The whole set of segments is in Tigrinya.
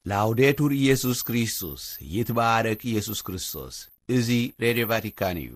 ላውዴቱር ኢየሱስ ክርስቶስ፣ ይትባረክ ኢየሱስ ክርስቶስ። እዚ ሬድዮ ቫቲካን እዩ።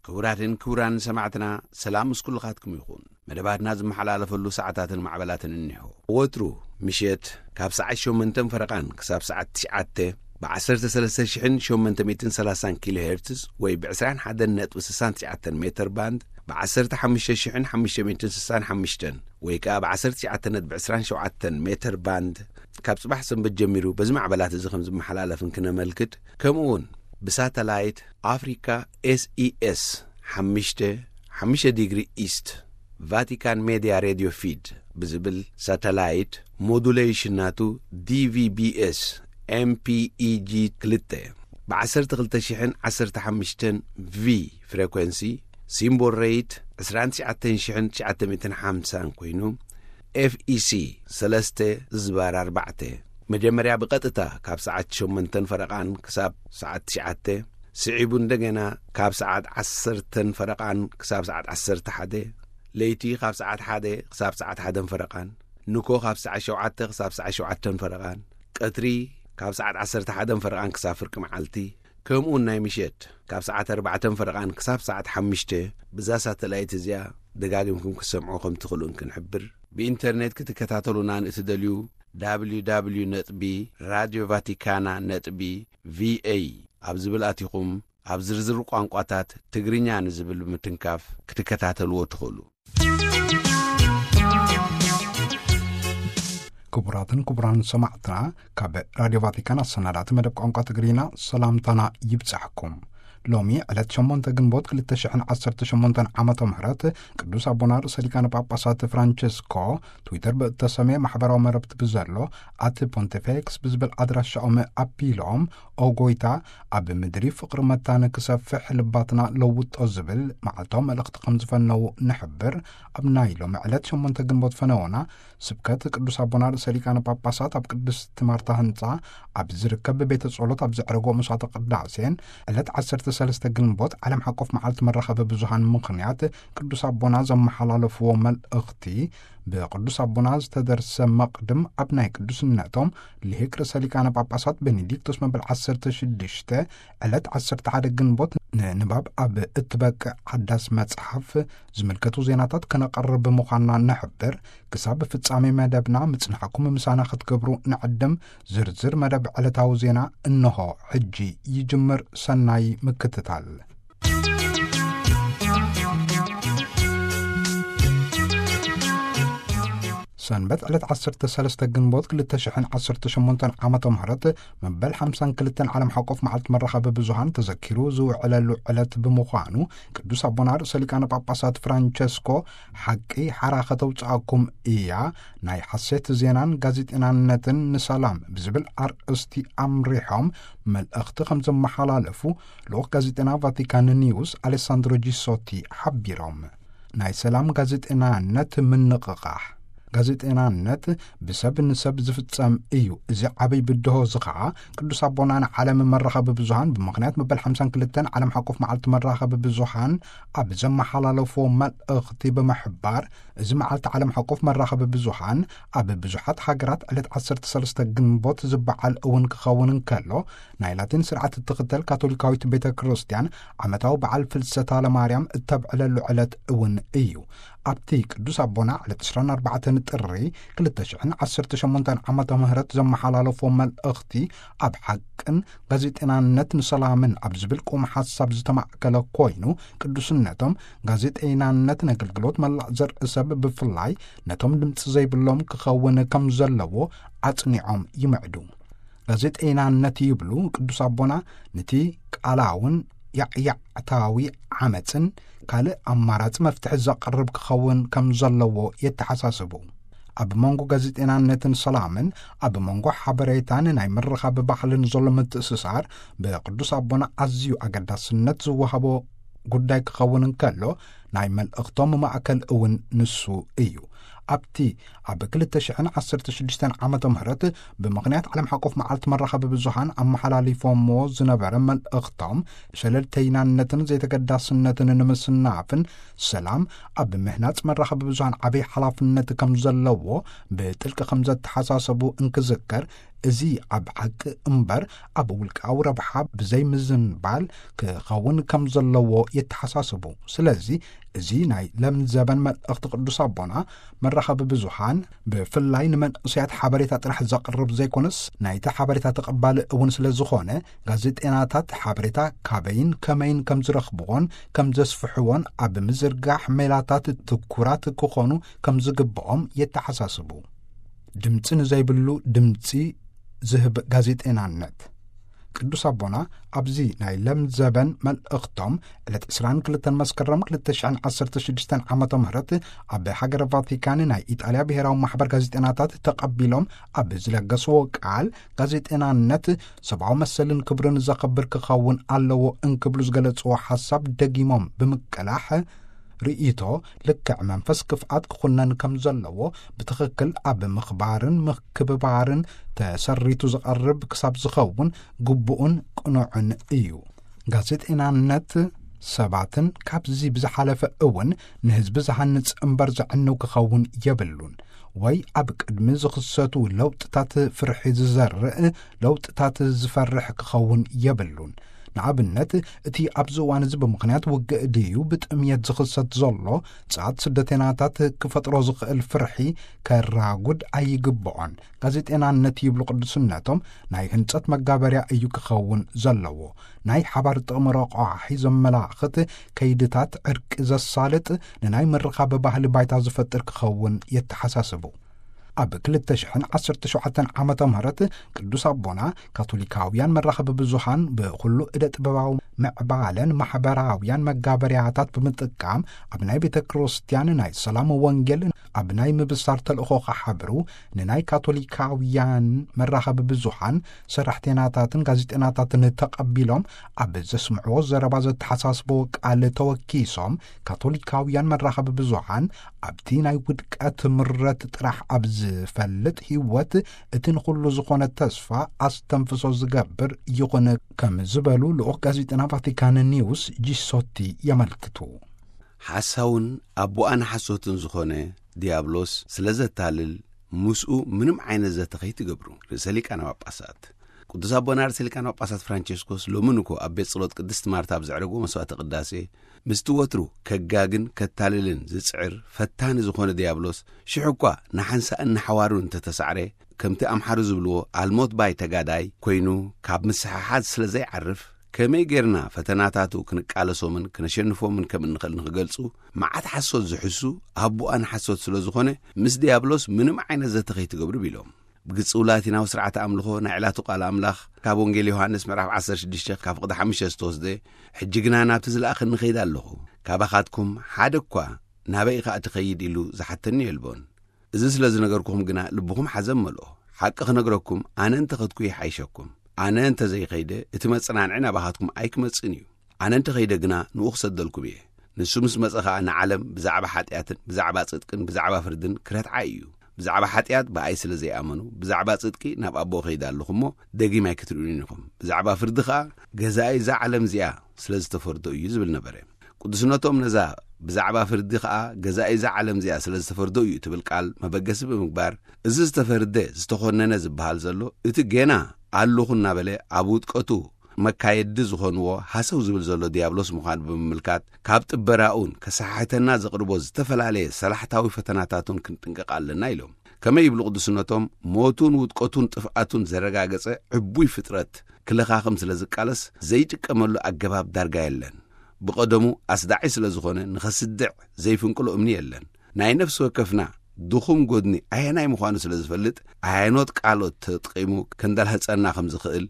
ክቡራትን ክቡራን ሰማዕትና፣ ሰላም ምስ ኩልኻትኩም ይኹን። መደባትና ዝመሓላለፈሉ ሰዓታትን ማዕበላትን እኒሆ። ወትሩ ምሸት ካብ ሰዓት ሸሞንተን ፈረቓን ክሳብ ሰዓት ትሽዓተ ብ ዓሰርተ ሰለስተ ሽሕን ሸሞንተ ሚእትን ሰላሳን ኪሎ ሄርትዝ ወይ ብ ዕስራን ሓደን ነጥቢ ስሳን ትሽዓተን ሜተር ባንድ፣ ብ ዓሰርተ ሓሙሽተ ሽሕን ሓሙሽተ ሚእትን ስሳን ሓሙሽተን ወይ ከኣ ብ ዓሰርተ ትሽዓተ ነጥቢ ዕስራን ሸውዓተን ሜተር ባንድ፣ ካብ ጽባሕ ሰንበት ጀሚሩ በዚ ማዕበላት እዚ ከም ዝመሓላለፍ እንክነመልክት፣ ከምኡ እውን ብሳተላይት ኣፍሪካ ኤስኢኤስ ሓሙሽተ፣ ሓሙሽተ ዲግሪ ኢስት፣ ቫቲካን ሜድያ ሬድዮ ፊድ ብዝብል ሳተላይት፣ ሞዱሌሽን ናቱ ዲቪቢኤስ ኤምፒኢጂ ክልተ፣ ብ ዓሰርተ ክልተ ሽሕን ዓሰርተ ሓሙሽተን ቪ ፍሬኮንሲ፣ ሲምቦል ሬት ዕስራን ትሽዓተን ሽሕን ትሽዓተ ሚእትን ሓምሳን ኮይኑ፣ ኤፍኢሲ ሰለስተ ዝባር ኣርባዕተ፣ መጀመርያ ብቐጥታ ካብ ሰዓት ሸሞንተን ፈረቓን ክሳብ ሰዓት ትሽዓተ፣ ስዒቡ እንደገና ካብ ሰዓት ዓሰርተን ፈረቓን ክሳብ ሰዓት ዓሰርተ ሓደ፣ ለይቲ ካብ ሰዓት ሓደ ክሳብ ሰዓት ሓደን ፈረቓን፣ ንኮ ካብ ሰዓት ሸውዓተ ክሳብ ሰዓት ሸውዓተን ፈረቓን፣ ቀትሪ ካብ ሰዓት ዓሰርተ ሓደን ፈረቓን ክሳብ ፍርቂ መዓልቲ፣ ከምኡውን ናይ ምሸት ካብ ሰዓት ኣርባዕተን ፈረቓን ክሳብ ሰዓት ሓሙሽተ፣ ብዛ ሳተላይት እዚኣ ደጋጊምኩም ክትሰምዑ ከም ትኽእሉ እንክንሕብር፣ ብኢንተርኔት ክትከታተሉና ንእትደልዩ፣ ደብሊው ደብሊው ደብሊው ነጥቢ ራድዮ ቫቲካና ነጥቢ ቪኤ ኣብ ዝብል ኣቲኹም፣ ኣብ ዝርዝር ቋንቋታት ትግርኛ ንዝብል ብምትንካፍ ክትከታተልዎ ትኽእሉ። ክቡራትን ክቡራን ሰማዕትና፣ ካብ ራድዮ ቫቲካን ኣሰናዳእቲ መደብ ቋንቋ ትግርኛ ሰላምታና ይብጻሕኩም። ሎሚ ዕለት ሸሞንተ ግንቦት ክልተ ሽሕን ዓሰርተ ሸሞንተን ዓመተ ምህረት፣ ቅዱስ ኣቦና ርእሰ ሊቃነ ጳጳሳት ፍራንቸስኮ ትዊተር ብእተሰምየ ማሕበራዊ መረብቲ ብዘሎ ኣት ፖንቲፌክስ ብዝብል ኣድራሻኦም ኣቢሎም፣ ኦ ጎይታ፣ ኣብ ምድሪ ፍቕሪ መታን ክሰፍሕ ልባትና ለውጦ ዝብል መዓልታዊ መልእኽቲ ከም ዝፈነዉ ንሕብር። ኣብ ናይ ሎሚ ዕለት ሸሞንተ ግንቦት ፈነወና ስብከት ቅዱስ ኣቦና ርእሰ ሊቃነ ጳጳሳት ኣብ ቅድስቲ ማርታ ህንጻ ኣብ ዝርከብ ቤተ ጸሎት ኣብ ዘዕረጎ መስዋዕተ ቅዳሴን፣ ዕለት ዓሰርተ ሰለስተ ግንቦት ዓለም ሓቆፍ መዓልቲ መራኸቢ ብዙሃን ምኽንያት ቅዱስ ኣቦና ዘመሓላለፍዎ መልእኽቲ፣ ብቅዱስ ኣቦና ዝተደርሰ መቕድም ኣብ ናይ ቅዱስነቶም ልሂቅ ርእሰ ሊቃነ ጳጳሳት ቤኔዲክቶስ መበል ዓሰርተ ሽዱሽተ ዕለት ዓሰርተ ሓደ ግንቦት ንንባብ ኣብ እትበቅዕ ሓዳስ መጽሓፍ ዝምልከቱ ዜናታት ከነቐርብ ምዃንና ንሕብር። ክሳብ ፍጻሜ መደብና ምጽናሕኩም ምሳና ክትገብሩ ንዕድም። ዝርዝር መደብ ዕለታዊ ዜና እንሆ ሕጂ ይጅምር። ሰናይ ምክትታል። ሰንበት ዕለት ዓሰርተ ሰለስተ ግንቦት ክልተ ሽሕን ዓሰርተ ሸሞንተን ዓመተ ምህረት መበል ሓምሳን ክልተን ዓለም ሓቆፍ መዓልቲ መራኸቢ ብዙሃን ተዘኪሩ ዝውዕለሉ ዕለት ብምዃኑ፣ ቅዱስ ኣቦና ርእሰ ሊቃነ ጳጳሳት ፍራንቸስኮ፣ ሓቂ ሓራ ከተውጽኣኩም እያ፣ ናይ ሓሴት ዜናን ጋዜጠናነትን ንሰላም ብዝብል ኣርእስቲ ኣምሪሖም መልእኽቲ ከም ዘመሓላለፉ ልኡኽ ጋዜጠና ቫቲካን ኒውስ ኣሌሳንድሮ ጂሶቲ ሓቢሮም። ናይ ሰላም ጋዜጠናነት ምንቕቓሕ። ጋዜጠናነት ብሰብ ንሰብ ዝፍጸም እዩ። እዚ ዓብይ ብድሆ እዚ ኸዓ ቅዱስ ኣቦና ንዓለም መራኸቢ ብዙሃን ብምኽንያት መበል ሓምሳን ክልተን ዓለም ሓቆፍ መዓልቲ መራኸቢ ብዙሃን ኣብ ዘመሓላለፍዎ መልእኽቲ ብምሕባር፣ እዚ መዓልቲ ዓለም ሓቆፍ መራኸቢ ብዙሃን ኣብ ብዙሓት ሃገራት ዕለት ዓሰርተ ሰለስተ ግንቦት ዝበዓል እውን ክኸውን እንከሎ፣ ናይ ላቲን ስርዓት እትኽተል ካቶሊካዊት ቤተ ክርስቲያን ዓመታዊ በዓል ፍልሰታ ለማርያም እተብዕለሉ ዕለት እውን እዩ። ኣብቲ ቅዱስ ኣቦና ዕለት ዕስራን ኣርባዕተን ጥሪ ክልተ ሽሕን ዓሰርተ ሸሞንተን ዓመተ ምህረት ዘመሓላለፎ መልእኽቲ፣ ኣብ ሓቅን ጋዜጠናነት ንሰላምን ኣብ ዝብል ቁም ሓሳብ ዝተማእከለ ኮይኑ፣ ቅዱስነቶም ጋዜጠናነት ነገልግሎት መላእ ዘርኢ ሰብ ብፍላይ ነቶም ድምፂ ዘይብሎም ክኸውን ከም ዘለዎ ኣጽኒዖም ይምዕዱ። ጋዜጠይናነት ይብሉ ቅዱስ ኣቦና፣ ነቲ ቃላውን ያዕያዕታዊ ዓመጽን ካልእ ኣማራጺ መፍትሒ ዘቕርብ ክኸውን ከም ዘለዎ የተሓሳስቡ። ኣብ መንጎ ጋዜጠናነትን ሰላምን፣ ኣብ መንጎ ሓበሬታን ናይ ምርኻብ ባህልን ዘሎ ምትእስሳር ብቅዱስ ኣቦና ኣዝዩ ኣገዳስነት ዝወሃቦ ጉዳይ ክኸውን እንከሎ፣ ናይ መልእኽቶም ማእከል እውን ንሱ እዩ። ኣብቲ ኣብ ክልተ ሽሕን ዓሰርተ ሽዱሽተን ዓመተ ምህረት ብምኽንያት ዓለም ሓቆፍ መዓልቲ መራኸቢ ብዙሃን ኣመሓላሊፎምዎ ዝነበረ መልእኽቶም፣ ሸለልተይናነትን ዘይተገዳስነትን ንምስናፍን ሰላም ኣብ ምህናጽ መራኸቢ ብዙሃን ዓብይ ሓላፍነት ከም ዘለዎ ብጥልቂ ከም ዘተሓሳሰቡ እንክዝከር፣ እዚ ኣብ ሓቂ እምበር ኣብ ውልቃዊ ረብሓ ብዘይ ምዝንባል ክኸውን ከም ዘለዎ የተሓሳስቡ። ስለዚ እዚ ናይ ለምዘበን መልእኽቲ ቅዱስ ኣቦና፣ መራኸቢ ብዙሃን ብፍላይ ንመንእሰያት ሓበሬታ ጥራሕ ዘቕርብ ዘይኮነስ፣ ናይቲ ሓበሬታ ተቐባሊ እውን ስለ ዝኾነ፣ ጋዜጠናታት ሓበሬታ ካበይን ከመይን ከም ዝረኽብዎን ከም ዘስፍሕዎን ኣብ ምዝርጋሕ ሜላታት ትኩራት ክኾኑ ከም ዝግብኦም የተሓሳስቡ። ድምፂ ንዘይብሉ ድምፂ ዝህብ ጋዜጠናነት። ቅዱስ ኣቦና ኣብዚ ናይ ለምዘበን መልእኽቶም፣ ዕለት ዕስራን ክልተን መስከረም ክልተ ሽሕን ዓሰርተ ሽዱሽተን ዓመተ ምህረት ኣብ ሃገረ ቫቲካን ናይ ኢጣልያ ብሔራዊ ማሕበር ጋዜጠናታት ተቐቢሎም ኣብ ዝለገስዎ ቃል፣ ጋዜጠናነት ሰብኣዊ መሰልን ክብርን ዘኸብር ክኸውን ኣለዎ እንክብሉ ዝገለጽዎ ሓሳብ ደጊሞም ብምቅላሕ፣ ርእይቶ ልክዕ መንፈስ ክፍኣት ክኹነን ከም ዘለዎ፣ ብትኽክል ኣብ ምኽባርን ምክብባርን ተሰሪቱ ዝቐርብ ክሳብ ዝኸውን ግቡእን ቅኑዕን እዩ። ጋዜጠናነት ሰባትን ካብዚ ብዝሓለፈ እውን ንህዝቢ ዝሃንጽ እምበር ዘዕንው ክኸውን የብሉን። ወይ ኣብ ቅድሚ ዝኽሰቱ ለውጥታት ፍርሒ ዝዘርእ ለውጥታት ዝፈርሕ ክኸውን የብሉን። ንኣብነት፣ እቲ ኣብዚ እዋን እዚ ብምኽንያት ውግእ ድዩ ብጥምየት ዝኽሰት ዘሎ ጻት ስደተናታት ክፈጥሮ ዝኽእል ፍርሒ ከራጉድ ኣይግብኦን። ጋዜጠናነት ይብሉ ቅዱስነቶም ናይ ህንጸት መጋበርያ እዩ ክኸውን ዘለዎ። ናይ ሓባር ጥቕሚ ረቋሒ ዘመላኽት ከይድታት ዕርቂ ዘሳልጥ፣ ንናይ ምርኻብ ባህሊ ባይታ ዝፈጥር ክኸውን የተሓሳስቡ። ኣብ ክልተ ሽሕን ዓሰርተ ሸውዓተን ዓመተ ምህረት ቅዱስ ኣቦና ካቶሊካውያን መራኸቢ ብዙሃን ብኹሉ እደ ጥበባዊ ምዕባለን ማሕበራውያን መጋበርያታት ብምጥቃም ኣብ ናይ ቤተ ክርስቲያን ናይ ሰላም ወንጌል ኣብ ናይ ምብሳር ተልእኾ ክሓብሩ ንናይ ካቶሊካውያን መራኸቢ ብዙሃን ሰራሕተናታትን ጋዜጠናታትን ተቐቢሎም ኣብ ዘስምዕዎ ዘረባ ዘተሓሳስቦ ቃል ተወኪሶም ካቶሊካውያን መራኸቢ ብዙሃን ኣብቲ ናይ ውድቀት ምረት ጥራሕ ኣብ ዝፈልጥ ህይወት እቲ ንኹሉ ዝኾነ ተስፋ ኣስተንፍሶ ዝገብር ይኹን ከም ዝበሉ ልኡኽ ጋዜጠና ቫቲካን ኒውስ ጂሶቲ የመልክቱ። ሓሳውን ኣቦኣ ንሓሶትን ዝኾነ ዲያብሎስ ስለ ዘታልል፣ ምስኡ ምንም ዓይነት ዘተ ከይትገብሩ። ርእሰ ሊቃነ ጳጳሳት ቅዱስ ኣቦና ርእሰ ሊቃነ ጳጳሳት ፍራንቸስኮስ ሎሚ ንኮ ኣብ ቤት ጸሎት ቅድስት ማርታ ኣብ ዘዕረግዎ መስዋዕተ ቅዳሴ፣ ምስቲ ወትሩ ከጋግን ከታልልን ዝጽዕር ፈታኒ ዝኾነ ዲያብሎስ፣ ሽሕ እኳ ንሓንሳእን ንሓዋሩን እንተተሳዕረ፣ ከምቲ ኣምሓሩ ዝብልዎ ኣልሞት ባይ ተጋዳይ ኮይኑ፣ ካብ ምስሕሓዝ ስለ ዘይዓርፍ፣ ከመይ ጌርና ፈተናታቱ ክንቃለሶምን ክነሸንፎምን ከም እንኽእል ንኽገልጹ፣ መዓት ሓሶት ዝሕሱ ኣቦኣ ንሓሶት ስለ ዝኾነ፣ ምስ ዲያብሎስ ምንም ዓይነት ዘተ ከይትገብሩ ቢሎም። ብግጽው ላቲናዊ ስርዓተ ኣምልኾ ናይ ዕላቱ ቃል ኣምላኽ ካብ ወንጌል ዮሃንስ ምዕራፍ ዓሰርተ ሽዱሽተ ካብ ፍቕዲ ሓሙሽተ ዝተወስደ፣ ሕጂ ግና ናብቲ ዝለኣኸኒ ኸይድ ኣለኹ፣ ካባኻትኩም ሓደ እኳ ናበይ ኢኻ እትኸይድ ኢሉ ዝሓተኒ የልቦን። እዚ ስለ ዝነገርኩኹም ግና ልብኹም ሓዘን መልኦ። ሓቂ ክነግረኩም ኣነ እንተ ኸድኩ ይሓይሸኩም። ኣነ እንተ ዘይኸይደ እቲ መጸናንዒ ናባኻትኩም ኣይክመጽእን እዩ። ኣነ እንተ ኸይደ ግና ንኡ ክሰደልኩም እየ። ንሱ ምስ መጸ ኸኣ ንዓለም ብዛዕባ ሓጢኣትን ብዛዕባ ጽድቅን ብዛዕባ ፍርድን ክረትዓ እዩ። ብዛዕባ ሓጢኣት ብኣይ ስለ ዘይኣመኑ፣ ብዛዕባ ጽድቂ ናብ ኣቦ እኸይድ ኣለኹ እሞ ደጊም ኣይክትርእዩን ኢኹም። ብዛዕባ ፍርዲ ኸኣ ገዛኢ እዛ ዓለም እዚኣ ስለ ዝተፈርዶ እዩ ዝብል ነበረ። ቅዱስነቶም ነዛ ብዛዕባ ፍርዲ ኸኣ ገዛኢ እዛ ዓለም እዚኣ ስለ ዝተፈርዶ እዩ እትብል ቃል መበገሲ ብምግባር፣ እዚ ዝተፈርደ ዝተኾነነ ዝበሃል ዘሎ እቲ ጌና ኣለኹ እናበለ ኣብ ውድቀቱ መካየዲ ዝኾንዎ ሃሰው ዝብል ዘሎ ዲያብሎስ ምዃኑ ብምምልካት፣ ካብ ጥበራኡን ከሰሓሕተና ዘቕርቦ ዝተፈላለየ ሰላሕታዊ ፈተናታቱን ክንጥንቀቕ ኣለና ኢሎም። ከመይ ይብሉ ቅዱስነቶም፣ ሞቱን ውድቀቱን ጥፍኣቱን ዘረጋገጸ ዕቡይ ፍጥረት ክለኻኽም ስለ ዝቃለስ ዘይጥቀመሉ ኣገባብ ዳርጋ የለን። ብቐደሙ ኣስዳዒ ስለ ዝኾነ ንኸስድዕ ዘይፍንቅሎ እምኒ የለን። ናይ ነፍሲ ወከፍና ድኹም ጎድኒ ኣየናይ ምዃኑ ስለ ዝፈልጥ፣ ኣየኖት ቃሎት ተጠቒሙ ከንደልህጸና ከም ዝኽእል፣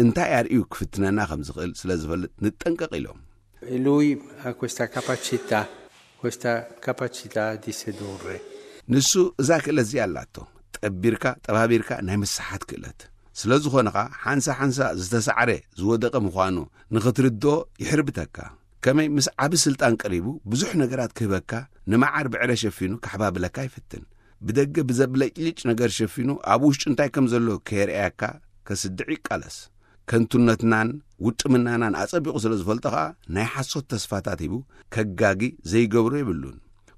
እንታይ ኣርእዩ ክፍትነና ከም ዝኽእል ስለ ዝፈልጥ ንጠንቀቕ ኢሎም። E lui ha questa capacità, questa capacità di sedurre. ንሱ እዛ ክእለት እዚኣ ኣላቶ። ጠቢርካ፣ ጠባቢርካ ናይ ምስሓት ክእለት። ስለ ዝኾነ ኸኣ ሓንሳ ሓንሳ ዝተሳዕረ፣ ዝወደቐ ምዃኑ ንኽትርድኦ ይሕርብተካ። ከመይ ምስ ዓቢ ስልጣን ቀሪቡ ብዙሕ ነገራት ክህበካ፣ ንመዓር ብዕረ ሸፊኑ ክሓባብለካ ይፍትን። ብደገ ብዘብለጭልጭ ነገር ሸፊኑ ኣብ ውሽጡ እንታይ ከም ዘሎ ከየርኣያካ ከስድዕ ይቃለስ። ከንቱነትናን ውጥምናናን ኣጸቢቑ ስለ ዝፈልጦ ኸኣ ናይ ሓሶት ተስፋታት ሂቡ ከጋጊ ዘይገብሮ የብሉን።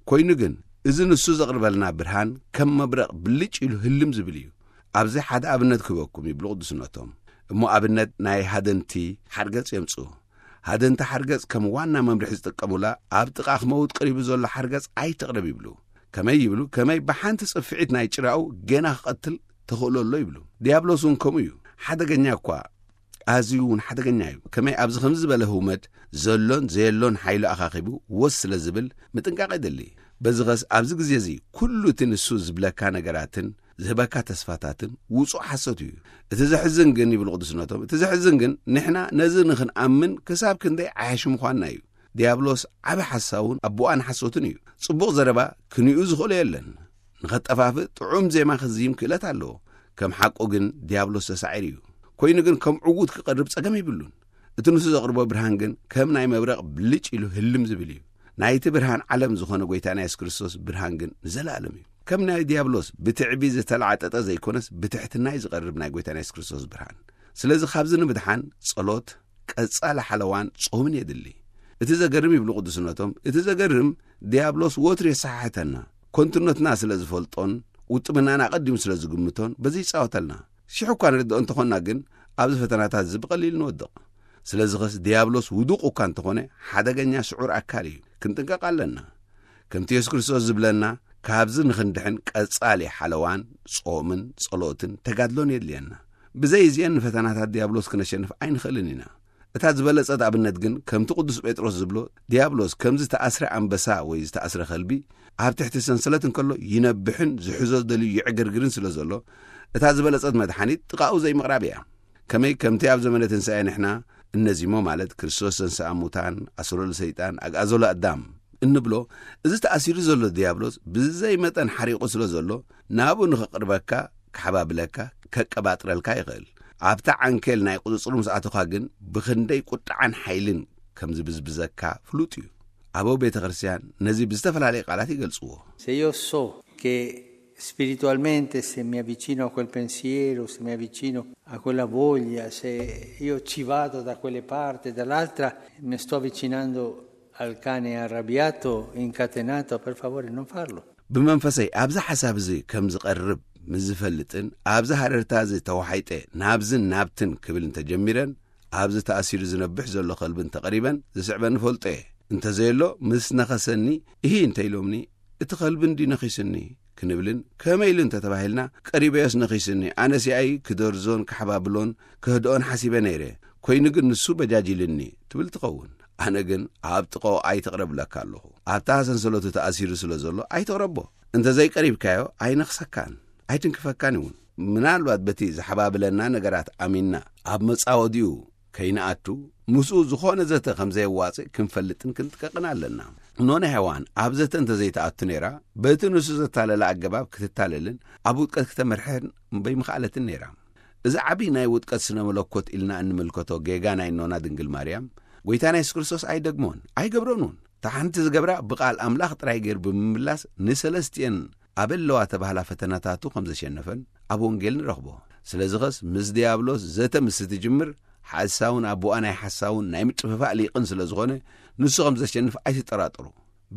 ኮይኑ ግን እዚ ንሱ ዘቕርበልና ብርሃን ከም መብረቕ ብልጭ ኢሉ ህልም ዝብል እዩ። ኣብዚ ሓደ ኣብነት ክህበኩም ይብሉ ቅዱስነቶም። እሞ ኣብነት ናይ ሃደንቲ ሓርገጽ የምጽኡ። ሃደንቲ ሓርገጽ ከም ዋና መምርሒ ዝጥቀሙላ ኣብ ጥቓ ክመውት ቀሪቡ ዘሎ ሓርገጽ ኣይትቕረብ ይብሉ። ከመይ ይብሉ? ከመይ ብሓንቲ ጽፍዒት ናይ ጭራኡ ጌና ክቐትል ተኽእሎ ኣሎ ይብሉ። ዲያብሎስ እውን ከምኡ እዩ። ሓደገኛ እኳ፣ ኣዝዩ እውን ሓደገኛ እዩ። ከመይ ኣብዚ ከምዚ ዝበለ ህውመት ዘሎን ዘየሎን ሓይሉ ኣኻኺቡ ወስ ስለ ዝብል ምጥንቃቕ የድሊ። በዚ ኸስ ኣብዚ ግዜ እዚ ኩሉ እቲ ንሱ ዝብለካ ነገራትን ዝህበካ ተስፋታትን ውጹእ ሓሶት እዩ። እቲ ዘሕዝን ግን፣ ይብሉ ቅዱስነቶም፣ እቲ ዘሕዝን ግን ንሕና ነዚ ንኽንኣምን ክሳብ ክንደይ ዓያሹ ምዃንና እዩ። ዲያብሎስ ዓቢ ሓሳውን ኣቦኣን ሓሶትን እዩ። ጽቡቕ ዘረባ ክንኡ ዝኽእሎ የለን። ንኸጠፋፍእ ጥዑም ዜማ ክዝይም ክእለት ኣለዎ። ከም ሓቁ ግን ዲያብሎስ ተሳዒሩ እዩ። ኮይኑ ግን ከም ዕዉት ክቐርብ ጸገም የብሉን። እቲ ንሱ ዘቕርቦ ብርሃን ግን ከም ናይ መብረቕ ብልጭ ኢሉ ህልም ዝብል እዩ። ናይቲ ብርሃን ዓለም ዝኾነ ጐይታና የሱስ ክርስቶስ ብርሃን ግን ንዘለኣለም እዩ። ከም ናይ ዲያብሎስ ብትዕቢ ዝተላዕጠጠ ዘይኮነስ ብትሕትና እዩ ዝቐርብ ናይ ጐይታና የሱስ ክርስቶስ ብርሃን። ስለዚ ካብዚ ንምድሓን ጸሎት፣ ቀጻሊ ሓለዋን ጾምን የድሊ። እቲ ዘገርም ይብሉ ቅዱስነቶም፣ እቲ ዘገርም ዲያብሎስ ወትሩ የሰሓሕተና። ከንቱነትና ስለ ዝፈልጦን ውጥምናና ኣቐዲሙ ስለ ዝግምቶን በዚ ይጻወተልና። ሽሕ እኳ ንርድኦ እንተኾንና ግን ኣብዚ ፈተናታት እዚ ብቐሊል ንወድቕ። ስለዚ ኸስ ዲያብሎስ ውዱቕ እኳ እንተኾነ ሓደገኛ ስዑር ኣካል እዩ። ክንጥንቀቕ ኣለና። ከምቲ የሱስ ክርስቶስ ዝብለና ካብዚ ንኽንድሕን ቀጻሊ ሓለዋን ጾምን ጸሎትን ተጋድሎን የድልየና። ብዘይ እዚአን ንፈተናታት ዲያብሎስ ክነሸንፍ ኣይንኽእልን ኢና። እታ ዝበለጸት ኣብነት ግን ከምቲ ቅዱስ ጴጥሮስ ዝብሎ ዲያብሎስ ከም ዝተኣስረ ኣንበሳ ወይ ዝተኣስረ ከልቢ ኣብ ትሕቲ ሰንሰለት እንከሎ ይነብሕን ዝሕዞ ደልዩ ይዕግርግርን ስለ ዘሎ እታ ዝበለጸት መድሓኒት ጥቓኡ ዘይምቕራብ እያ። ከመይ ከምቲ ኣብ ዘመነ ትንሳኤ ንሕና እነዚሞ ማለት ክርስቶስ ዘንስኣ ሙታን ኣስሮ ለሰይጣን ኣግኣዞ ለኣዳም እንብሎ እዚ ተኣሲሩ ዘሎ ዲያብሎስ ብዘይ መጠን ሓሪቑ ስለ ዘሎ ናብኡ ንኽቕርበካ ክሓባብለካ ከቀባጥረልካ ይኽእል። ኣብታ ዓንኬል ናይ ቁጽጽሩ ምስ ኣተኻ ግን ብኽንደይ ቁጥዓን ሓይልን ከም ዝብዝብዘካ ፍሉጥ እዩ። ኣበው ቤተ ክርስቲያን ነዚ ብዝተፈላለየ ቃላት ይገልጽዎ። Se io so che spiritualmente se mi avvicino a quel pensiero, se mi avvicino a quella voglia, se io ci vado da quelle parti e dall'altra, mi sto avvicinando al cane arrabbiato, incatenato, per favore non farlo. ብመንፈሰይ ኣብዚ ሓሳብ እዚ ከም ዝቐርብ ምስ ዝፈልጥን ኣብዚ ሃረርታ እዚ ተዋሒጠ ናብዝን ናብትን ክብል እንተጀሚረን ኣብዚ ተኣሲሩ ዝነብሕ ዘሎ ከልቢ እንተቐሪበን ዝስዕበኒ ፈልጦ እየ። እንተዘየሎ ምስ ነኸሰኒ እሂ እንተኢሎምኒ እቲ ከልቢ እንዲ ነኺስኒ ክንብልን ከመይ ኢሉ እንተተባሂልና ቀሪበዮስ ነኺስኒ ኣነስ ያኢ ክደርዞን ክሓባብሎን ክህድኦን ሓሲበ ነይረ። ኮይኑ ግን ንሱ በጃጅ ኢልኒ ትብል ትኸውን። ኣነ ግን ኣብ ጥቕኦ ኣይትቕረብ እብለካ ኣለኹ። ኣብታ ሰንሰለቱ ተኣሲሩ ስለ ዘሎ ኣይትቕረቦ። እንተ ዘይቀሪብካዮ ኣይነኽሰካን ኣይትንክፈካን እውን። ምናልባት በቲ ዝሓባብለና ነገራት ኣሚንና ኣብ መጻወዲኡ ከይንኣቱ ምስኡ ዝኾነ ዘተ ከም ዘየዋጽእ ክንፈልጥን ክንጥቀቕን ኣለና። ኖነ ሄዋን ኣብ ዘተ እንተ ዘይትኣቱ ነይራ በቲ ንሱ ዘታለላ ኣገባብ ክትታለልን ኣብ ውድቀት ክተመርሕን በይምኽኣለትን ነይራ። እዚ ዓቢ ናይ ውድቀት ስነ መለኮት ኢልና እንምልከቶ ጌጋ ናይ ኖና ድንግል ማርያም ጐይታና የሱስ ክርስቶስ ኣይደግሞን ኣይገብሮን እውን። እታ ሓንቲ ዝገብራ ብቓል ኣምላኽ ጥራይ ገይሩ ብምምላስ ንሰለስቲኤን ኣበለዋ ተባህላ ፈተናታቱ ከም ዘሸነፈን ኣብ ወንጌል ንረኽቦ። ስለዚ ኸስ ምስ ዲያብሎስ ዘተ ምስ ትጅምር ሓሳውን ኣቦኣ ናይ ሓሳውን ናይ ምጥፍፋእ ሊቕን ስለ ዝኾነ ንሱ ከም ዘሸንፍ ኣይትጠራጠሩ።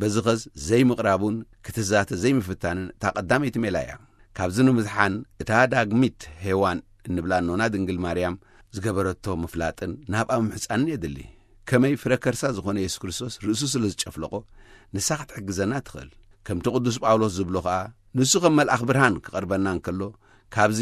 በዚ ኸስ ዘይምቕራቡን ክትዛተ ዘይምፍታንን እታ ቀዳመይቲ ሜላ እያ። ካብዚ ንምድሓን እታ ዳግሚት ሄዋን እንብላ ኖና ድንግል ማርያም ዝገበረቶ ምፍላጥን ናብኣ ምሕጻንን የድሊ። ከመይ ፍረ ከርሳ ዝኾነ የሱስ ክርስቶስ ርእሱ ስለ ዝጨፍለቖ ንሳ ክትሕግዘና ትኽእል። ከምቲ ቅዱስ ጳውሎስ ዝብሎ ኸኣ ንሱ ከም መልኣኽ ብርሃን ክቐርበና እንከሎ ካብዚ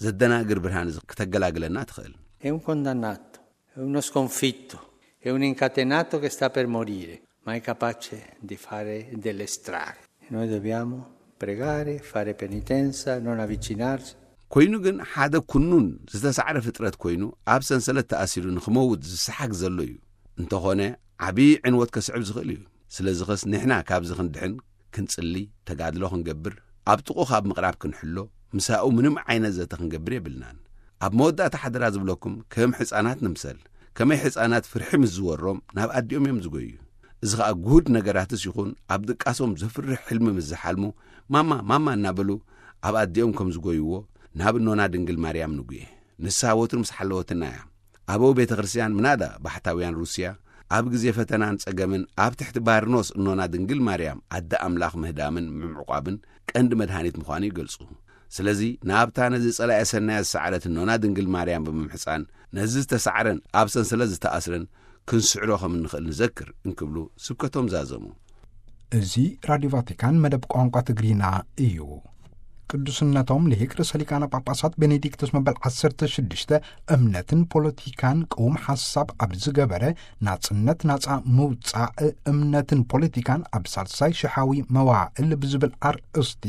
ዘደናግር ብርሃን እዚ ክተገላግለና ትኽእል። È un condannato, è uno sconfitto, è un incatenato che sta per morire, ma è capace di fare delle strane. E noi dobbiamo pregare, fare penitenza, non avvicinarsi. ኮይኑ ግን ሓደ ኩኑን ዝተሳዕረ ፍጥረት ኮይኑ ኣብ ሰንሰለት ተኣሲሩ ንኽመውት ዝሰሓግ ዘሎ እዩ። እንተኾነ ዓብዪ ዕንወት ከስዕብ ዝኽእል እዩ። ስለዚ ኸስ ንሕና ካብዚ ክንድሕን ክንጽሊ ተጋድሎ ክንገብር ኣብ ጥቕኡ ካብ ምቕራብ ክንሕሎ፣ ምሳኡ ምንም ዓይነት ዘተ ክንገብር የብልናን። ኣብ መወዳእታ ሓደራ ዝብለኩም፣ ከም ሕፃናት ንምሰል። ከመይ ሕፃናት ፍርሒ ምስ ዝወሮም ናብ ኣዲኦም እዮም ዝጎዩ። እዚ ኸኣ ጉሁድ ነገራትስ ይኹን ኣብ ድቃሶም ዘፍርሕ ሕልሚ ምስ ዝሓልሙ፣ "ማማ፣ ማማ" እናበሉ ኣብ ኣዲኦም ከም ዝጎይዎ ናብ እኖና ድንግል ማርያም ንጉየ። ንሳ ወትሩ ምስ ሓለወትና እያ። ኣበው ቤተ ክርስቲያን ምናዳ ባሕታውያን ሩስያ ኣብ ግዜ ፈተናን ጸገምን ኣብ ትሕቲ ባርኖስ እኖና ድንግል ማርያም ኣደ ኣምላኽ ምህዳምን ምምዕቋብን ቀንዲ መድሃኒት ምዃኑ ይገልጹ። ስለዚ ናብታ ነዚ ጸላኤ ሰናያት ዝሰዓረት እኖና ድንግል ማርያም ብምምሕጻን ነዚ ዝተሳዕረን ኣብ ሰንሰለት ዝተኣስረን ክንስዕሮ ከም እንኽእል ንዘክር እንክብሉ ስብከቶም ዛዘሙ። እዚ ራድዮ ቫቲካን መደብ ቋንቋ ትግሪና እዩ። ቅዱስነቶም ልሂቅ ርእሰ ሊቃነ ጳጳሳት ቤኔዲክቶስ መበል ዓሰርተ ሽዱሽተ እምነትን ፖለቲካን ቅውም ሓሳብ ኣብ ዝገበረ ናጽነት ናጻ ምውጻእ እምነትን ፖለቲካን ኣብ ሳልሳይ ሽሓዊ መዋእል ብዝብል ኣርእስቲ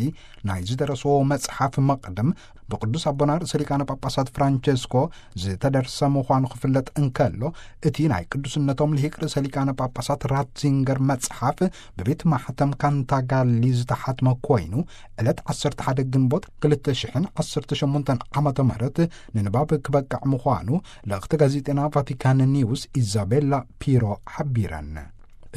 ናይ ዝደረስዎ መጽሓፍ መቕድም ብቅዱስ ኣቦና ርእሰ ሊቃነ ጳጳሳት ፍራንቸስኮ ዝተደርሰ ምዃኑ ክፍለጥ እንከሎ፣ እቲ ናይ ቅዱስነቶም ልሂቅ ርእሰ ሊቃነ ጳጳሳት ራትዚንገር መጽሓፍ ብቤት ማሕተም ካንታጋሊ ዝተሓትመ ኮይኑ፣ ዕለት ዓሰርተ ሓደ ግንቦት ክልተ ሽሕን ዓሰርተ ሸሞንተን ዓመተ ምህረት ንንባብ ክበቅዕ ምዃኑ ልእኽቲ ጋዜጠና ቫቲካን ኒውስ ኢዛቤላ ፒሮ ሓቢረን።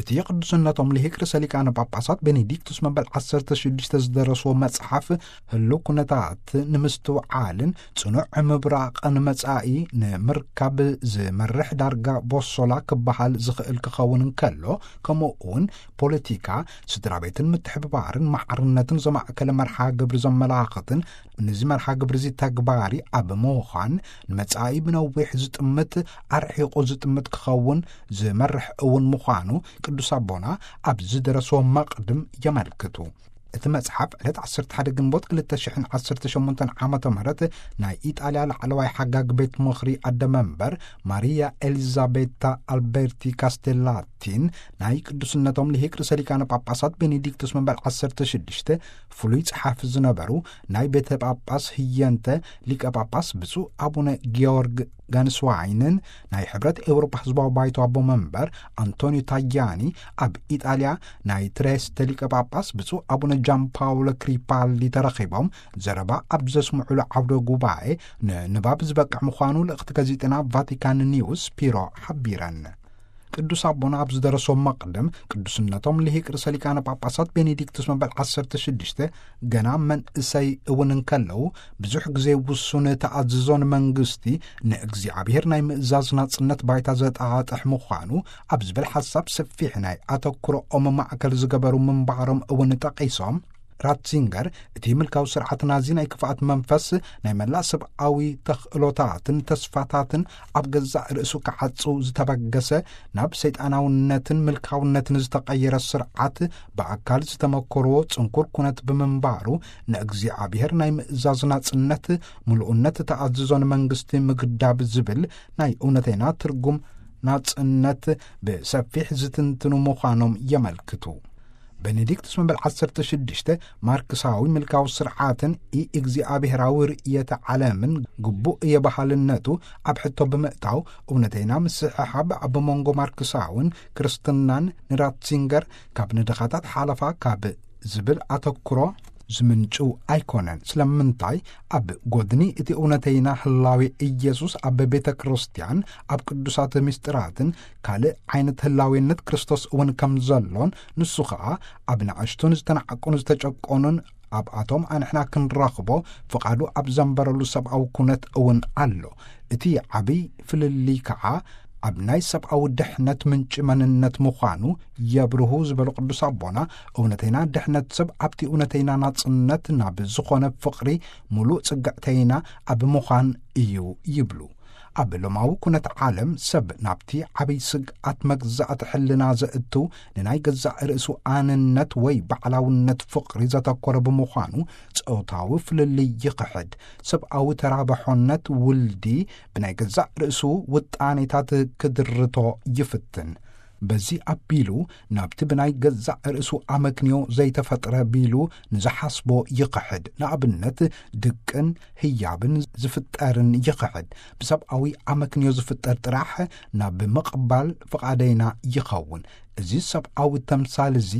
እቲ ቅዱስነቶም ልሂቅ ርእሰ ሊቃነ ጳጳሳት ቤኔዲክቱስ መበል ዓሰርተ ሽዱሽተ ዝደረስዎ መጽሓፍ ህሉው ኩነታት ንምስትውዓልን ጽኑዕ ምብራቕን መጻኢ ንምርካብ ዝመርሕ ዳርጋ ቦሶላ ክበሃል ዝኽእል ክኸውን እንከሎ፣ ከምኡ እውን ፖለቲካ፣ ስድራ ቤትን ምትሕብባርን ማዕርነትን ዘማእከለ መርሓ ግብሪ ዘመላኽትን፣ ነዚ መርሓ ግብሪ እዚ ተግባሪ ኣብ ምዃን ንመጻኢ ብነዊሕ ዝጥምት፣ ኣርሒቑ ዝጥምት ክኸውን ዝመርሕ እውን ምዃኑ ቅዱስ ኣቦና ኣብ ዝደረስዎ መቕድም የመልክቱ። እቲ መጽሓፍ ዕለት ዓሰርተ ሓደ ግንቦት ክልተ ሽሕን ዓሰርተ ሸሞንተን ዓመተ ምህረት ናይ ኢጣልያ ላዕለዋይ ሓጋግ ቤት ምኽሪ ኣደ መንበር ማሪያ ኤሊዛቤታ ኣልበርቲ ካስቴላቲን ናይ ቅዱስነቶም ልሂቅ ርእሰ ሊቃነ ጳጳሳት ቤኔዲክቱስ መበል ዓሰርተ ሽዱሽተ ፍሉይ ጸሓፊ ዝነበሩ ናይ ቤተ ጳጳስ ህየንተ ሊቀ ጳጳስ ብፁዕ ኣቡነ ጊዮርግ ጋንስዋይንን ናይ ሕብረት ኤውሮጳ ህዝባዊ ባይቶ ኣቦ መንበር ኣንቶኒዮ ታያኒ ኣብ ኢጣልያ ናይ ትሬስተ ሊቀ ጳጳስ ብፁዕ ኣቡነ ጃን ፓውሎ ክሪፓሊ ተረኺቦም ዘረባ ኣብ ዘስምዑሉ ዓውደ ጉባኤ ንንባብ ዝበቅዕ ምዃኑ ልእኽቲ ጋዜጠና ቫቲካን ኒውስ ፒሮ ሓቢረን። ቅዱስ ኣቦና ኣብ ዝደረሶም መቕድም፣ ቅዱስነቶም ልሂቅ ርእሰ ሊቃነ ጳጳሳት ቤኔዲክቱስ መበል ዓሰርተ ሽዱሽተ ገና መንእሰይ እውን እንከለዉ፣ ብዙሕ ግዜ ውሱን ተኣዝዞ ንመንግስቲ፣ ንእግዚኣብሔር ናይ ምእዛዝ ናጽነት ባይታ ዘጣጥሕ ምዃኑ ኣብ ዝብል ሓሳብ ሰፊሕ ናይ ኣተኩሮኦም ማእከል ዝገበሩ ምንባሮም እውን ጠቒሶም፣ ራትዚንገር፣ እቲ ምልካዊ ስርዓት ናዚ ናይ ክፍኣት መንፈስ ናይ መላእ ሰብኣዊ ተኽእሎታትን ተስፋታትን ኣብ ገዛእ ርእሱ ክዓጹ ዝተበገሰ፣ ናብ ሰይጣናውነትን ምልካውነትን ዝተቐየረ ስርዓት ብኣካል ዝተመኮርዎ ጽንኩር ኩነት ብምንባሩ፣ ንእግዚኣብሔር ናይ ምእዛዝ ናጽነት፣ ምሉእነት ተኣዝዞ ንመንግስቲ ምግዳብ ዝብል ናይ እውነተይና ትርጉም ናጽነት ብሰፊሕ ዝትንትኑ ምዃኖም የመልክቱ። ቤኔዲክቱስ መበል ዓሰርተ ሽዱሽተ ማርክሳዊ ምልካዊ ስርዓትን ኢ እግዚኣብሔራዊ ርእየተ ዓለምን ግቡእ እየ በሃልነቱ ኣብ ሕቶ ብምእታው፣ እውነተይና ምስሕሓብ ኣብ መንጎ ማርክሳውን ክርስትናን ንራትሲንገር ካብ ንድኻታት ሓለፋ ካብ ዝብል ኣተኩሮ ዝምንጩ ኣይኮነን። ስለምንታይ? ኣብ ጎድኒ እቲ እውነተይና ህላዌ ኢየሱስ ኣብ ቤተ ክርስቲያን፣ ኣብ ቅዱሳት ምስጢራትን ካልእ ዓይነት ህላዌነት ክርስቶስ እውን ከም ዘሎን፣ ንሱ ኸኣ ኣብ ንኣሽቱን ዝተናዕቁን ዝተጨቆኑን ኣብኣቶም ኣንሕና ክንረኽቦ ፍቓዱ ኣብ ዘንበረሉ ሰብኣዊ ኩነት እውን ኣሎ። እቲ ዓብይ ፍልልይ ከኣ ኣብ ናይ ሰብኣዊ ድሕነት ምንጪ መንነት ምዃኑ የብርሁ ዝበሉ ቅዱስ ኣቦና፣ እውነተይና ድሕነት ሰብ ኣብቲ እውነተይና ናጽነት ናብ ዝኾነ ፍቕሪ ምሉእ ጽግዕተይና ኣብ ምዃን እዩ ይብሉ። ኣብ ሎማዊ ኩነት ዓለም ሰብ ናብቲ ዓብይ ስግኣት መግዛእቲ ሕልና ዘእቱ ንናይ ገዛእ ርእሱ ኣንነት ወይ ባዕላውነት ፍቕሪ ዘተኮረ ብምዃኑ ጾታዊ ፍልልይ ይኽሕድ። ሰብኣዊ ተራባሖነት ውልዲ ብናይ ገዛእ ርእሱ ውጣኔታት ክድርቶ ይፍትን። በዚ ኣቢሉ ናብቲ ብናይ ገዛእ ርእሱ ኣመክንዮ ዘይተፈጥረ ቢሉ ንዝሓስቦ ይኽሕድ። ንኣብነት፣ ድቅን ህያብን ዝፍጠርን ይኽሕድ። ብሰብኣዊ ኣመክንዮ ዝፍጠር ጥራሕ ናብ ምቕባል ፍቓደይና ይኸውን። እዚ ሰብኣዊ ተምሳል እዚ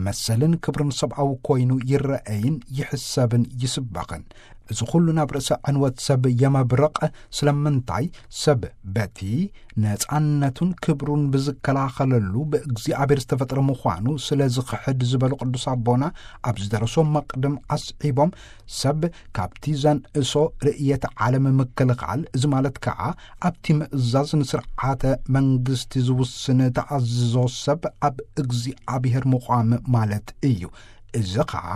መሰልን ክብርን ሰብኣዊ ኮይኑ ይረአይን ይሕሰብን ይስበኽን። እዚ ኩሉ ናብ ርእሰ ዕንወት ሰብ የመብርቕ። ስለምንታይ? ሰብ በቲ ነጻነቱን ክብሩን ብዝከላኸለሉ ብእግዚኣብሔር ዝተፈጥረ ምዃኑ ስለ ዝኽሕድ ዝበሉ ቅዱስ ኣቦና፣ ኣብ ዝደረሶ መቕድም ኣስዒቦም፣ ሰብ ካብቲ ዘንእሶ ርእየት ዓለም ምክልኻል፣ እዚ ማለት ከኣ ኣብቲ ምእዛዝ ንስርዓተ መንግስቲ ዝውስን ተኣዝዞ ሰብ ኣብ እግዚኣብሔር ምዃም ማለት እዩ። እዚ ኸኣ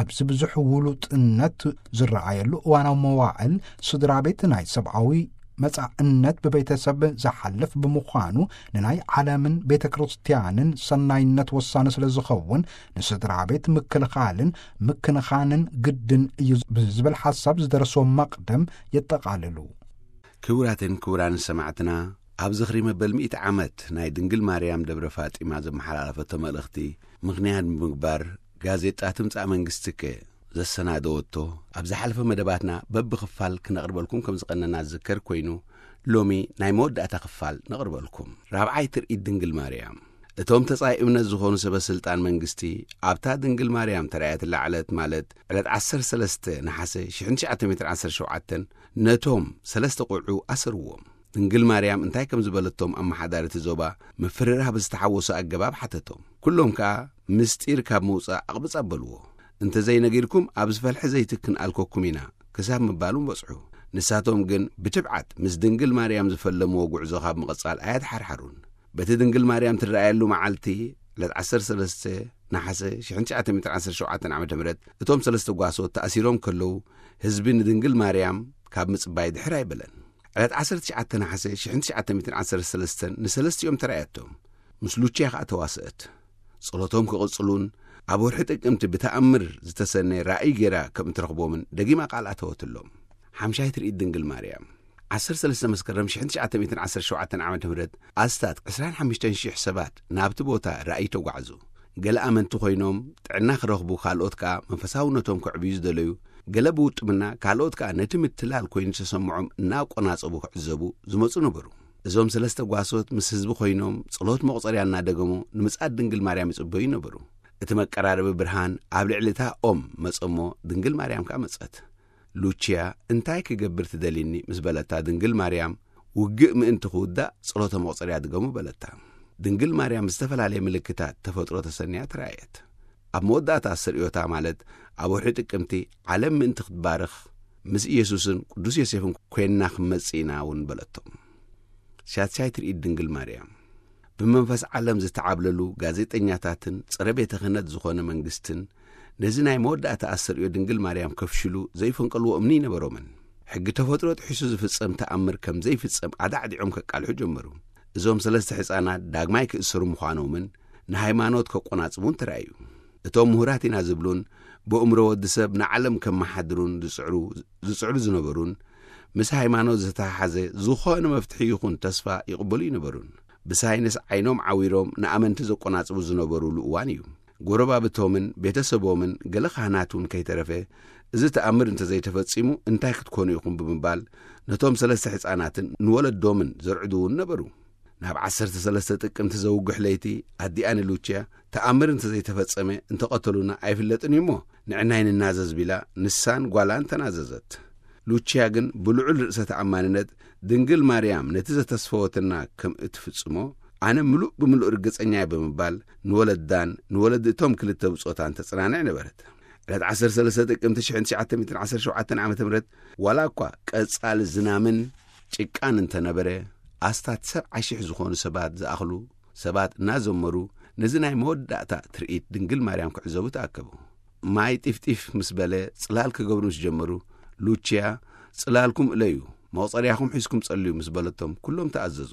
ኣብዚ ብዙሕ ውሉጥነት ዝረኣየሉ እዋናዊ መዋዕል፣ ስድራ ቤት ናይ ሰብኣዊ መጻእነት ብቤተሰብ ዝሓልፍ ብምዃኑ፣ ንናይ ዓለምን ቤተ ክርስቲያንን ሰናይነት ወሳኒ ስለ ዝኸውን፣ ንስድራ ቤት ምክልኻልን ምክንኻንን ግድን እዩ ብዝብል ሓሳብ ዝደረሶ መቕድም የጠቓልሉ። ክቡራትን ክቡራን ሰማዕትና፣ ኣብ ዝኽሪ መበል ሚእቲ ዓመት ናይ ድንግል ማርያም ደብረ ፋጢማ ዘመሓላለፈቶ መልእኽቲ ምኽንያት ብምግባር፣ ጋዜጣ ትምጻእ መንግስትከ ዘሰናደወቶ ኣብ ዝሓለፈ መደባትና በብኽፋል ክነቕርበልኩም ከም ዝቐነና ዝዝከር ኮይኑ፣ ሎሚ ናይ መወዳእታ ክፋል ነቕርበልኩም። ራብዓይ ትርኢት ድንግል ማርያም። እቶም ተጻይ እምነት ዝኾኑ ሰበ ስልጣን መንግስቲ፣ ኣብታ ድንግል ማርያም ተራእየትላ ዕለት፣ ማለት ዕለት ዓሰርተ ሰለስተ ነሓሰ ሽሕን ትሽዓተ ሚእትን ዓሰርተ ሸውዓተን፣ ነቶም ሰለስተ ቆልዑ ኣሰርዎም። ድንግል ማርያም እንታይ ከም ዝበለቶም ኣመሓዳሪ እቲ ዞባ ምፍርራህ ብዝተሓወሶ ኣገባብ ሓተቶም። ኩሎም ከኣ ምስጢር ካብ ምውጻእ ኣቕብጽ ኣበልዎ። "እንተ ዘይነጊርኩም ኣብ ዝፈልሐ ዘይትክን ኣልኮኩም ኢና" ክሳብ ምባሉ በጽሑ። ንሳቶም ግን ብትብዓት ምስ ድንግል ማርያም ዝፈለምዎ ጉዕዞ ካብ ምቕጻል ኣያድሓርሓሩን። በቲ ድንግል ማርያም ትረኣየሉ መዓልቲ፣ ዕለት ዓሰርተ ሰለስተ ነሓሰ ሽሕን ትሽዓተ ሚእትን ዓሰርተ ሸውዓተን ዓመተ ምህረት፣ እቶም ሰለስተ ጓሶት ተኣሲሮም ከለዉ፣ ህዝቢ ንድንግል ማርያም ካብ ምጽባይ ድሕር ኣይበለን። ዕለት ዓሰርተ ትሽዓተ ነሓሰ ሽሕን ትሽዓተ ሚእትን ዓሰርተ ሰለስተን ንሰለስቲኦም ተራእየቶም። ምስ ሉቺያ ከኣ ተዋስአት። ጸሎቶም ክቕጽሉን ኣብ ወርሒ ጥቅምቲ ብተኣምር ዝተሰነየ ራእይ ገይራ ከም እትረኽቦምን ደጊማ ቃል ኣተወትሎም። ሓምሻይ ትርኢት ድንግል ማርያም። ዓሰርተ ሰለስተ መስከረም ሽሕን ትሽዓተ ሚእትን ዓሰርተ ሸውዓተን ዓመተ ምህረት፣ ኣስታት ዕስራን ሓሙሽተን ሽሕ ሰባት ናብቲ ቦታ ራእይ ተጓዕዙ። ገለ ኣመንቲ ኮይኖም ጥዕና ክረኽቡ፣ ካልኦት ከኣ መንፈሳውነቶም ከዕብዩ ዝደለዩ፣ ገለ ብውጥምና፣ ካልኦት ከኣ ነቲ ምትላል ኮይኑ ዝተሰምዖም እናቆናጸቡ ክዕዘቡ ዝመጹ ነበሩ። እዞም ሰለስተ ጓሶት ምስ ህዝቢ ኮይኖም ጸሎት መቑጸርያ እናደገሙ ንምጽኣት ድንግል ማርያም ይጽበዩ ነበሩ። እቲ መቀራረቢ ብርሃን ኣብ ልዕሊ እታ ኦም መጸ እሞ ድንግል ማርያም ከኣ መጸት። ሉቺያ፣ "እንታይ ክገብር ትደሊኒ?" ምስ በለታ፣ ድንግል ማርያም፣ "ውግእ ምእንቲ ክውዳእ ጸሎተ መቑጸርያ ድገሙ" በለታ። ድንግል ማርያም ብዝተፈላለየ ምልክታት ተፈጥሮ ተሰንያ ተራእየት። ኣብ መወዳእታ ኣስተርእዮታ፣ ማለት ኣብ ወርሒ ጥቅምቲ፣ ዓለም ምእንቲ ክትባርኽ ምስ ኢየሱስን ቅዱስ ዮሴፍን ኮይንና ክንመጽእ ኢና እውን በለቶም። ሻትሻይ ትርኢት ድንግል ማርያም። ብመንፈስ ዓለም ዝተዓብለሉ ጋዜጠኛታትን ጸረ ቤተ ክህነት ዝኾነ መንግስትን ነዚ ናይ መወዳእታ ኣስተርእዮ ድንግል ማርያም ከፍሽሉ ዘይፈንቀልዎ እምኒ ኣይነበሮምን። ሕጊ ተፈጥሮ ጥሒሱ ዝፍጸም ተኣምር ከም ዘይፍጸም ኣዳዕዲዖም ከቃልሑ ጀመሩ። እዞም ሰለስተ ሕፃናት ዳግማይ ክእሰሩ ምዃኖምን ንሃይማኖት ከቆናጽቡን ተራእዩ። እቶም ምሁራት ኢና ዝብሉን ብእምሮ ወዲ ሰብ ንዓለም ከመሓድሩን ዝጽዕሩ፣ ዝጽዕሩ ዝነበሩን፣ ምስ ሃይማኖት ዝተሓሓዘ ዝኾነ መፍትሒ ይኹን ተስፋ ይቕበሉ ይነበሩን። ብሳይንስ ዓይኖም ዓዊሮም ንኣመንቲ ዘቆናጽቡ ዝነበሩሉ እዋን እዩ። ጎረባብቶምን ቤተሰቦምን ገለ ካህናት እውን ከይተረፈ፣ "እዚ ተኣምር እንተዘይተፈጺሙ እንታይ ክትኮኑ ኢኹም?" ብምባል ነቶም ሰለስተ ሕፃናትን ንወለዶምን ዘርዕዱ እውን ነበሩ። ናብ ዓሰርተ ሰለስተ ጥቅምቲ ዘውግሕ ለይቲ፣ ኣዲኣ ንሉቺያ፣ "ተኣምር እንተዘይተፈጸመ እንተቐተሉና ኣይፍለጥን እዩ እሞ፣ ንዕናይ ንናዘዝ" ቢላ ንሳን ጓላን ተናዘዘት። ሉቺያ ግን ብልዑል ርእሰ ተኣማንነት፣ "ድንግል ማርያም ነቲ ዘተስፈወትና ከም እትፍጽሞ ኣነ ምሉእ ብምሉእ ርግጸኛ እየ" ብምባል ንወለዳን ንወለዲ እቶም ክልተ ብጾታን ተጸናንዕ ነበረት። ዕለት ዓሰርተ ሰለስተ ጥቅምቲ ሽሕን ትሽዓተ ሚእትን ዓሰርተ ሸውዓተን ዓመተ ምህረት፣ ዋላ እኳ ቀጻሊ ዝናምን ጭቃን እንተነበረ፣ ኣስታት ሰብዓ ሽሕ ዝኾኑ ሰባት ዝኣኽሉ ሰባት እናዘመሩ ነዚ ናይ መወዳእታ ትርኢት ድንግል ማርያም ክዕዘቡ ተኣከቡ። ማይ ጢፍጢፍ ምስ በለ ጽላል ክገብሩ ምስ ጀመሩ፣ ሉቺያ፣ "ጽላልኩም እለዩ፣ መቑጸርያኹም ሒዝኩም ጸልዩ" ምስ በለቶም፣ ኩሎም ተኣዘዙ።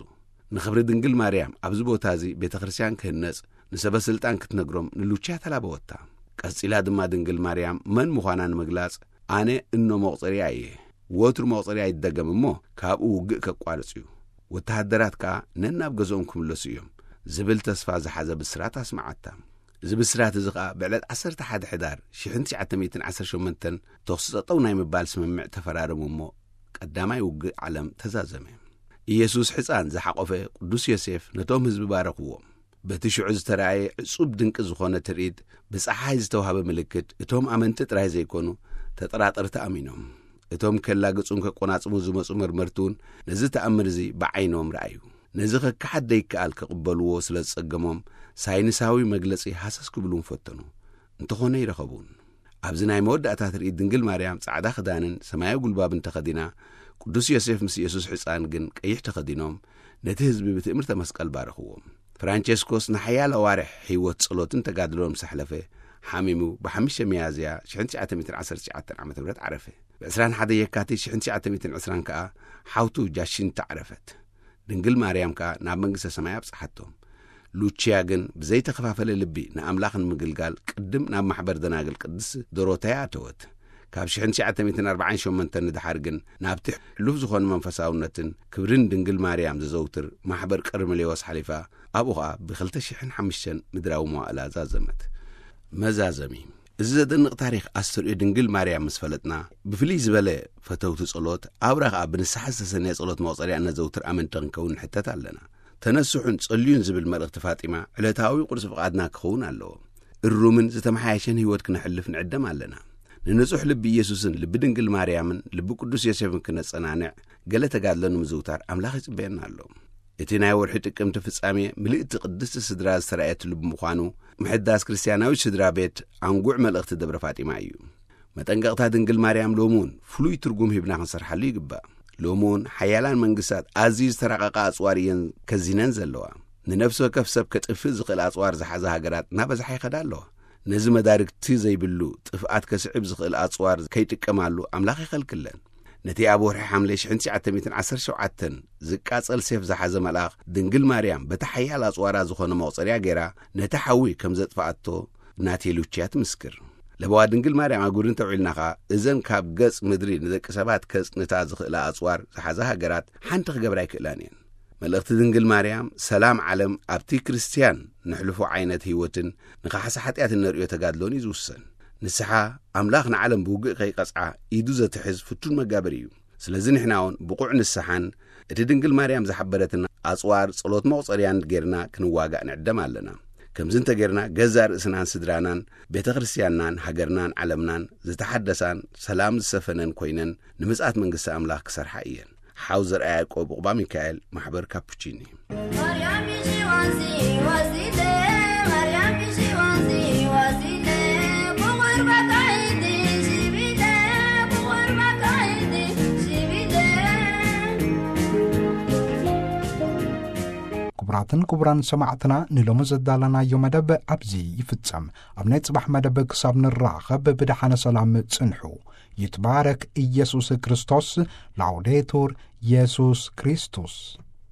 ንኽብሪ ድንግል ማርያም ኣብዚ ቦታ እዚ ቤተ ክርስቲያን ክህነጽ ንሰበ ስልጣን ክትነግሮም ንሉቺያ ተላበወታ። ቀጺላ ድማ ድንግል ማርያም መን ምዃና ንምግላጽ፣ "ኣነ እኖ መቑጸርያ እየ። ወትሩ መቑጸርያ ይደገም እሞ ካብኡ ውግእ ከቋርጽ እዩ። ወተሃደራት ከኣ ነናብ ገዝኦም ክምለሱ እዮም። ዝብል ተስፋ ዝሓዘ ብስራት ኣስመዓታ። እዚ ብስራት እዚ ኸኣ ብዕለት ዓሰርተ ሓደ ሕዳር ሽሕን ትሽዓተ ሚእትን ዓሰርተ ሸሞንተን ተኹሲ ጠጠው ናይ ምባል ስምምዕ ተፈራረሙ እሞ፣ ቀዳማይ ውግእ ዓለም ተዛዘመ። ኢየሱስ ሕፃን ዝሓቖፈ ቅዱስ ዮሴፍ ነቶም ህዝቢ ባረኽዎም። በቲ ሽዑ ዝተራእየ ዕጹብ ድንቂ ዝኾነ ትርኢት፣ ብጸሓይ ዝተዋህበ ምልክት፣ እቶም ኣመንቲ ጥራይ ዘይኮኑ፣ ተጠራጠርቲ ኣሚኖም። እቶም ከላግጹን ከቆናጽቡን ዝመጹ መርመርቲ እውን ነዚ ተኣምር እዚ ብዓይኖም ረኣዩ። ነዚ ከከሓድ ደይከኣል ክቕበልዎ ስለ ዝጸገሞም፣ ሳይንሳዊ መግለጺ ሃሰስ ክብሉን ፈተኑ። እንተኾነ ይረኸቡን። ኣብዚ ናይ መወዳእታ ትርኢት ድንግል ማርያም ጻዕዳ ክዳንን ሰማያዊ ጉልባብን ተኸዲና፣ ቅዱስ ዮሴፍ ምስ የሱስ ሕጻን ግን ቀይሕ ተኸዲኖም፣ ነቲ ህዝቢ ብትእምርተ መስቀል ባረኽዎም። ፍራንቸስኮስ ንሓያሎ ኣዋርሕ ህይወት ጸሎትን ተጋድሎን ምስ ኣሕለፈ፣ ሓሚሙ ብሓሙሽተ ሚያዝያ ሽሕን ትሽዓተ ሚእትን ዓሰርተ ትሽዓተን ዓመተ ምህረት ዓረፈ። ብ ዕስራን ሓደን የካቲት ሽሕን ትሽዓተ ሚእትን ዕስራን ከኣ ሓውቱ ጃሺንታ ዓረፈት። ድንግል ማርያም ከኣ ናብ መንግስተ ሰማይ ኣብጽሓቶም። ሉቺያ ግን ብዘይተኸፋፈለ ልቢ ንኣምላኽ ንምግልጋል ቅድም ናብ ማሕበር ደናግል ቅድስት ዶሮተያ ኣተወት። ካብ ሽሕን ትሽዓተ ሚእትን ኣርባዓን ሸሞንተን ንደሓር ግን ናብቲ ሕሉፍ ዝኾነ መንፈሳውነትን ክብርን ድንግል ማርያም ዘዘውትር ማሕበር ቀርሜሌዎስ ሓሊፋ፣ ኣብኡ ኸኣ ብኽልተ ሽሕን ሓሙሽተን ምድራዊ መዋእላ ዛዘመት። መዛዘሚ። እዚ ዘደንቕ ታሪኽ ኣስተርእዮ ድንግል ማርያም ምስ ፈለጥና፣ ብፍልይ ዝበለ ፈተውቲ ጸሎት፣ ኣብራ ኸኣ ብንስሓ ዝተሰነየ ጸሎት መቑጸርያ እነዘውትር ኣመንቲ ክንከውን ንሕተት ኣለና። ተነስሑን ጸልዩን ዝብል መልእኽቲ ፋጢማ ዕለታዊ ቁርሲ ፍቓድና ክኸውን ኣለዎ። እሩምን ዝተመሓየሸን ህይወት ክነሕልፍ ንዕደም ኣለና። ንንጹሕ ልቢ ኢየሱስን ልቢ ድንግል ማርያምን ልቢ ቅዱስ ዮሴፍን ክነጸናንዕ፣ ገለ ተጋድሎ ንምዝውታር ኣምላኽ ይጽበየና ኣሎ። እቲ ናይ ወርሒ ጥቅምቲ ፍጻሜ ምልእቲ ቅድስቲ ስድራ ዝተራእየትሉ ብምዃኑ፣ ምሕዳስ ክርስትያናዊት ስድራ ቤት ኣንጉዕ መልእኽቲ ደብረ ፋጢማ እዩ። መጠንቀቕታ ድንግል ማርያም ሎሚ እውን ፍሉይ ትርጉም ሂብና ክንሰርሓሉ ይግባእ። ሎሚ እውን ሓያላን መንግስታት ኣዝዩ ዝተራቐቐ ኣጽዋር እየን ከዚነን ዘለዋ። ንነፍሲ ወከፍ ሰብ ከጥፍእ ዝኽእል ኣጽዋር ዝሓዛ ሃገራት እናበዝሓ ይኸዳ ኣለዋ። ነዚ መዳርግቲ ዘይብሉ ጥፍኣት ከስዕብ ዝኽእል ኣጽዋር ከይጥቀማሉ ኣምላኽ ይኸልክለን። ነቲ ኣብ ወርሒ ሓምለ ሽሕን ትሽዓተ ሚእትን ዓሰርተ ሸውዓተን ዝቃጸል ሴፍ ዝሓዘ መልኣኽ ድንግል ማርያም በቲ ሓያል ኣጽዋራ ዝኾነ መቑጸርያ ገይራ ነቲ ሓዊ ከም ዘጥፍኣቶ ናቴ ሉቺያ ትምስክር። ለበዋ ድንግል ማርያም ኣጉሪ እንተውዒልና ኸኣ፣ እዘን ካብ ገጽ ምድሪ ንደቂ ሰባት ከጽንታ ዝኽእላ ኣጽዋር ዝሓዛ ሃገራት ሓንቲ ክገብራ ኣይክእላን እየን። መልእኽቲ ድንግል ማርያም፣ ሰላም ዓለም ኣብቲ ክርስትያን ነሕልፎ ዓይነት ህይወትን ንኻሕሳ ሓጢኣት እነርእዮ ተጋድሎን እዩ ዝውሰን። ንስሓ፣ ኣምላኽ ንዓለም ብውግእ ከይቀጽዓ ኢዱ ዘትሕዝ ፍቱን መጋበሪ እዩ። ስለዚ ንሕና እውን ብቑዕ ንስሓን እቲ ድንግል ማርያም ዝሓበረትና ኣጽዋር ጸሎት መቑጸርያን ጌርና ክንዋጋእ ንዕደም ኣለና። ከምዚ እንተ ጌርና ገዛእ ርእስናን ስድራናን ቤተ ክርስትያንናን ሃገርናን ዓለምናን ዝተሓደሳን ሰላም ዝሰፈነን ኮይነን ንምጽኣት መንግስቲ ኣምላኽ ክሰርሓ እየን። ሓው ዘርኣ ያዕቆብ፣ ዑቕባ ሚካኤል፣ ማሕበር ካፑቺኒ። ማርያም ይሽዋንሲ ዋሲለ፣ ማርያም ይሽዋንሲ ዋሲለ፣ ብቑርባ ካይዲ ሽቢለ፣ ብቑርባ ካይዲ ሽቢለ። ክቡራትን ክቡራን ሰማዕትና፣ ንሎሚ ዘዳለናዮ መደብ ኣብዚ ይፍጸም። ኣብ ናይ ጽባሕ መደብ ክሳብ ንራኸብ ብደሓነ ሰላም ጽንሑ። ይትባረክ ኢየሱስ ክርስቶስ። ላውዴቱር ኢየሱስ ክርስቶስ።